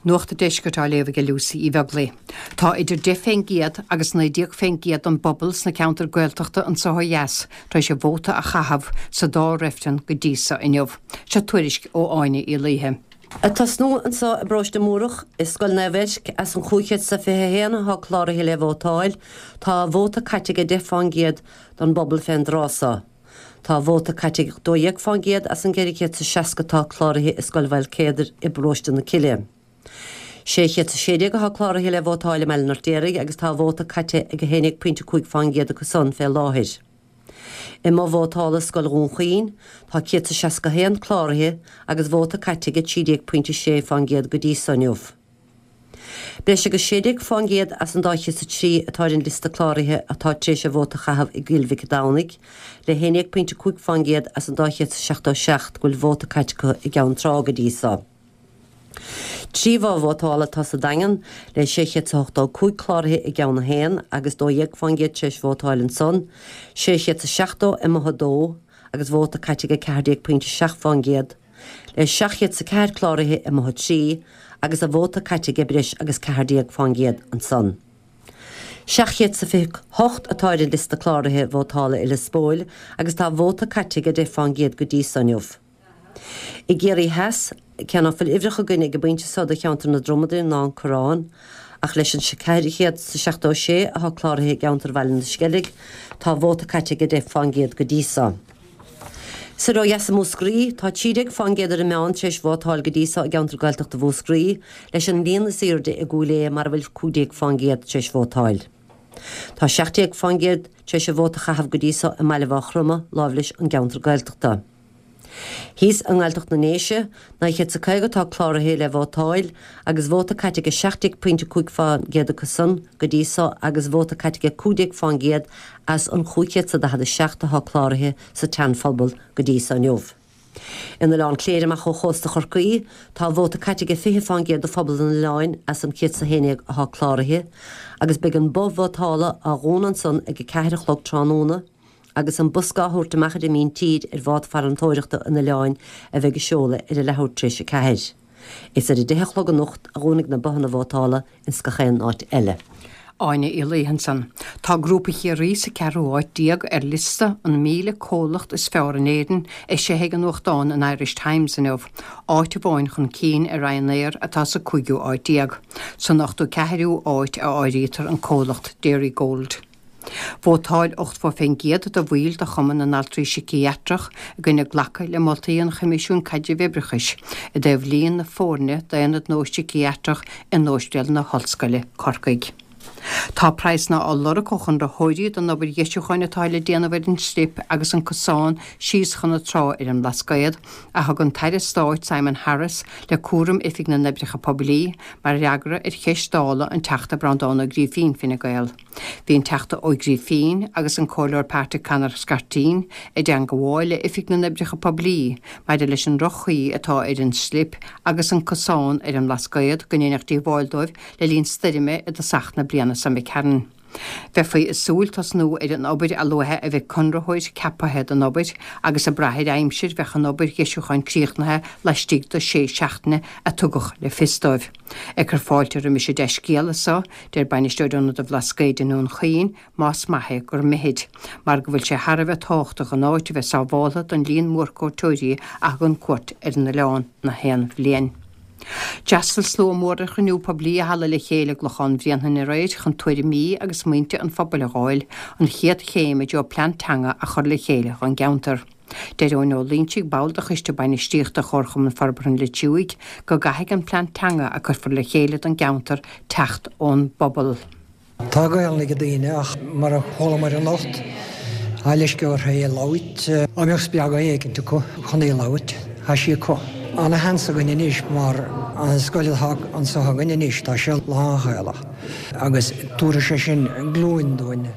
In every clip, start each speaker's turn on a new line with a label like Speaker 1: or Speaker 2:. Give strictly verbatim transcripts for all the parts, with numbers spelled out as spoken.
Speaker 1: Nuacht an Deiscirt á léamh ag Lucy Uí Bheaglaoi. Tá idir deich fén gcéad agus naoi déag fén gcéad den bpobal sna ceantair Gaeltachta anseo ó dheas tar éis a vóta a chaitheamh sa dá reifreann go dtí so inniu. Seo tuairisc ó Áine Uí Laoithe.
Speaker 2: Ag tosnú anseo i bparóiste Múrach i Scoil Naomh Eirc as an chúig chéad is a fiche haon atá cláraithe le vótáil, tá vóta caite ag deich fán gcéad don bpobal fén dtráth so. Tá vóta caite ag dó dhéag fán gcéad as an gceithre chéad is seasca atá cláraithe i Scoil Mhaoil Céadair i bparóiste na Cille. Sé chéad is sé déag atá cláraithe le vótáil i mBaile an Fheirtéaraigh agus tá vóta caite ag a haon déag pointe cúig fán gcéad acu san fé láthair. I mboth vótála Scoil Dhún Chaoin tá céad is seasca haon cláraithe agus vóta caite ag trí déag pointe sé fán gcéad go dtí so inniu. Breis agus sé déag fán gcéad as an dá chéad is a trí atá ar an liosta cláraithe atá tar éis a vóta a chaitheamh i gCill Mhic Domhnaigh, le haon déag pointe cúig fán gcéad as an dá chéad is seachtó seacht go bhfuil vóta caite acu i gCeann Trá go dtí so. Trí bhoth vótála atá sa Daingean le sé chéad is ochtó cúig cláraithe i gceann a haon agus dó dhéag fán gcéad tar éis vótáil ansan, sé chéad is seachtó i mboth a dó agus vóta caite ag ceathair déag pointe seacht fán gcéad, le seacht chéad is a ceathair cláraithe i mboth a trí agus a vóta caite ag breis agus ceathair déag fán gcéad ansan. Seacht chéad is a fiche hocht atá ar an liosta cláraithe vótála i Lios Póil agus tá vóta caite ag deich fán gcéad go dtí so inniu. I gCiarraí Theas, cé ná fuil uimhreacha againn ag an bpointe so do cheantar na Dromadan ná an Corrán, ach leis an ceathair chéad is seachtó sé atá cláraithe i gceantar Bhaile na Sceilg, tá vóta caite ag deich fán gcéad go dtí so. Soir ó dheas i Múscraí, tá trí déag fán gcéad ar an meán tar éis vótáil go dtí so i gceantar Gaeltachta Mhúscraí, leis an líon is airde i gCúil Aodha mar a bhfuil cúig déag fán gcéad tar éis vótáil. Tá seacht déag fán gcéad tar éis a vóta a chaitheamh go dtí so i mBaile Mhaigh Chromtha, láimh leis an gceantar Gaeltachta. Thíos i nGaeltacht na nDéise, naoi chéad is a caoga atá cláraithe le vótáil agus vóta caite ag seacht déag pointe cúig fán gcéad acu san go dtí so agus vóta caite ag cúig déag fán gcéad as an chúig chéad is a daichead a seacht atá cláraithe sa tSeanphobal go dtí so inniu. In Oileán Cléire amach ó chósta Chorcaí, tá vóta caite ag fiche fán gcéad de phobal an oileáin as an céad is a haon déag atá cláraithe agus beidh an both vótála á dhúnadh ansan ag a ceathair a chlog tráthnóna agus an bosca á thabhairt amach ar an míntír ar bhád farantóireachta an oileáin a bheidh ag seoladh ar a leathuair tar éis a ceathair. Is ar a deich a chlog anocht a dhúnfaidh na bothanna vótála ins gach aon áit eile.
Speaker 1: Áine Uí Laoithe ansan. Tá Grúpa Chiarraí sa ceathrú háit déag ar liosta an míle comhlacht is fearr in Éirinn eisithe ag an nuachtán an Irish Times inniu, áit amháin chun cinn ar Ryanair atá sa cúigiú háit déag. San ochtó ceathrú háit a áirítear an comhlacht Dairygold. Vótáil ochtó fén gcéad de bhaill de Chumann na nAltraí Síciatrach i gcoinne glacadh le moltaí an Choimisiúin Caidrimh Oibreachais i dtaobh líon na foirne d'aonad nua síciatrach in Ospidéal na hOllscoile, Corcaigh. Tá praghsanna á lorg ó chonraitheoirí don obair dheisiúcháin atá le déanamh ar an Sclip agus an cosán síos chun na trá ar an mBlascaod, a thug an tAire Stáit Simon Harris le cúram Oifig na nOibreacha Poiblí mar fhreagra ar cheist Dála an Teachta Breandán Ó Grífín, Fine Gael. Bhí an Teachta Ó Grífín agus an Comhairleoir Páirte Conor Scarteen i dteangmháil le Oifig na nOibreacha Poiblí maidir leis an droch-chaoi atá ar an Sclip agus an cosán ar an mBlascaod go ndéanfadh díobháil dóibh le linn stoirme i dtosach na bliana seo imigh tharainn. Bheifí ag súil tosnú ar an obair a luaithe a bheidh conraitheoir ceaptha don obair agus ag brath ar aimsir bheadh an obair dheisiúcháin críochnaithe laistigh de sé seachtaine a tugadh le fios dóibh. Ag cur fáilte roimis an dea-scéala so, deir bainisteoir Ionad an Bhlascaoid i nDún Chaoin, más maith é gur mithid, mar go bhfuil sé thar a bheith tábhachtach an áit a bheith sábháltha don líon mór cuairteoirí a thugann cuairt ar an oileán na haon bhliain. D'fhreastail slua mór ar chruinniú poiblí i Halla Le Chéile i gClochán Bhréanainn aréir chun tuairimí agus smaointe an phobail a dh'fháil, an chéad chéim i dtreo plean teanga a chur le chéile don gceantar. Deir Eoin Ó Loingsigh, ball de Choiste Bainistíochta Chomharchumann Forbartha an Leitriúigh, go gcaithfidh an plean teanga a cuirfear le chéile don gceantar teacht ón bpobal.
Speaker 3: Tá Gaelainn ag daoine ach mar a chualamar anocht, tá leisce orthu é a labhairt. Dá mbeadh spreagadh éicint acu chun í a labhairt, tá sí acu. Ana-sheans againn anois mar an scoil atá anseo againn anois, tá sé lán-Ghaelach agus tabharfaidh sé sin glúin dúinn.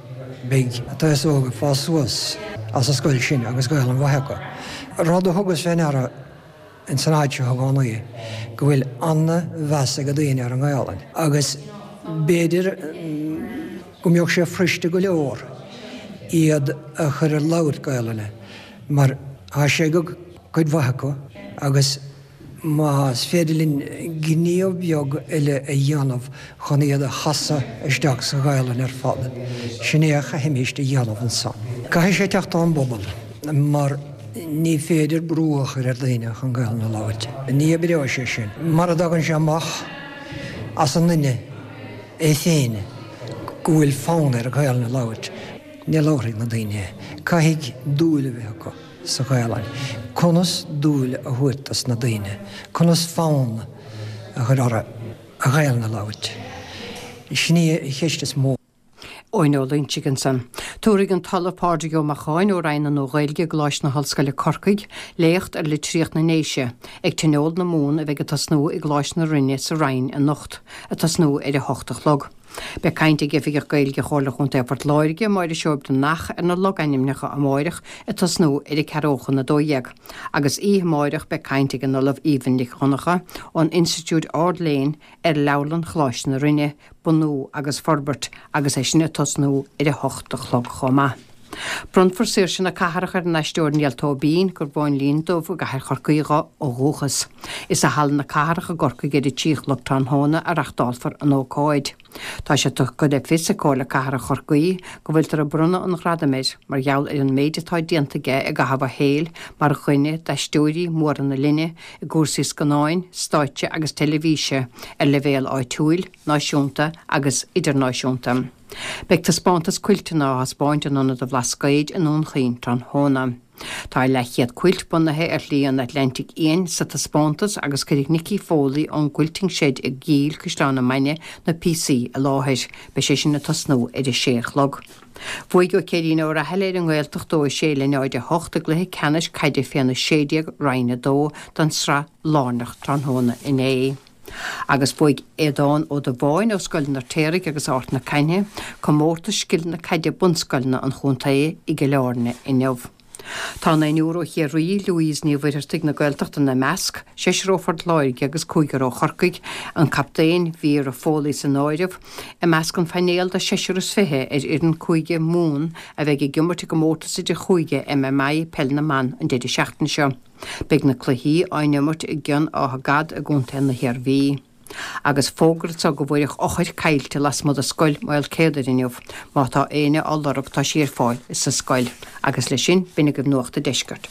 Speaker 3: Beidh an t-aos óg ag fás suas as an scoil sin agus Gaelainn mhaith acu. Rud a thugas fé ndeara ins an áit seo i gcónaí go bhfuil ana-mheas ag daoine ar an nGaelainn agus b'fhéidir go mbeadh sé fuiriste go leor iad a chur ag labhairt Gaelainne mar tá sé ag cuid mhaith acu agus Más féidir linn gníomh beag eile a dhéanamh chun iad a chasadh isteach sa Ghaelainn ar fad. Sin é a chaithfimid a dhéanamh ansan. Caithfidh sé teacht ón bpobal mar ní féidir brú a chur ar dhaoine chun Gaelainn a labhairt. Ní oibreoidh sé sin. Mura dtagann sé amach as an duine é féin go bhfuil fonn air Gaelainn a labhairt, ní labharfaidh na daoine. Caithfidh dúil a bheith acu sa Ghaelainn. Conas dúil a thabhairt dos na daoine, conas fonn a chur orthu an Ghaelainn a labhairt. Sin í an cheist is mó.
Speaker 1: Eoin Ó Loingsigh ansan. Tabharfaidh an tOllamh Pádraig Ó Macháin ó Roinn na Nua-Ghaeilge i gColáiste na hOllscoile Corcaigh léacht ar litríocht na nDéise, ag Tionól na Mumhan a bheidh ag tosnú i gColáiste na Rinne sa Rinn anocht, ag tosnú ar a hocht a chlog. Beidh caint ag Oifigeach Gaeilge Chomhairle Chontae Phort Láirge, Máire Seoibreanach ar na logainmneacha amárach ag tosnú ar a ceathrú chun a dó dhéag. Agus oíche amárach beidh caint ag an Ollamh Aoibhinn Nic Dhonncha ón Institiúid Ard-Léinn ar Leabharlann Choláiste na Rinne, bunú agus forbairt agus é sin ag tosnú ar a hocht a chlog chomh maith. Bronnfar Saoirse na Cathrach ar an aisteoir Niall Tóibín, gur Mhóinlín Dubh i gcathair Chorcaí dó ó dhúchas. Is i Halla na Cathrach i gCorcaigh ar a trí a chlog tráthnóna a reachtálfar an ócáid. Tá sé tugtha le fios ag Comhairle Cathrach Chorcaí go bhfuiltear ag bronnadh an ghradaim air mar gheall ar an méid atá déanta aige i gcaitheamh a shaoil mar dhuine d'aisteoirí móra na linne i gcúrsaí scannáin, stáitse agus teilifíse ar leibhéal áitiúil, náisiúnta agus idirnáisiúnta. Beidh taispeántas cuilteanna á thaispeáint in Ionad an Bhlascaoid i nDún Chaoin tráthnóna. Tá leathchéad cuilt bunaithe ar Shlí an Atlantaigh Fhiáin sa taispeántas agus cuirfidh Nicky Foley ón Quilting Shed i gCill Caisleán na Mainge na píosaí i láthair. Beidh sé sin ag tosnú ar a sé a chlog. Bhuaigh Ó Céirín Ó Rathaille ar an nGaeltacht dó a sé le náid a hocht i gcluiche ceannais caide féna sé déag Roinn a dó den tsraith lárnach tráthnóna inné. Agus bhuaigh Aodán Ó Dubháin ó Scoil an Fheirtéaraigh agus Ard na Caithne comórtas scileanna caide bunscoileanna an chontae i gCill Airne inniu. Tá naonúr ó Chiarraí, Louise Ní Mhuircheartaigh na Gaeltachta ina measc, seisear ó Phort Láirge agus cúigear ó Chorcaigh, an captaen Vera Foley san áireamh, i measc an phainéil de sheisear is fiche ar fhoireann Cúige Mumhan a bheidh ag imirt i gcomórtas idir chúige MMI Peil na mBan an deireadh seachtaine seo. Beidh na cluichí á n-imirt i gCionn Átha Gad i gContae na hIarmhí. Agus fógra anseo go bhfuair eochair caillte lasmuigh de scoil Maol Céadair inniu. Má tá éinne á lorg tá sí ar fáil sa scoil. Agus leis sin b'in agaibh Nuacht an Deiscirt.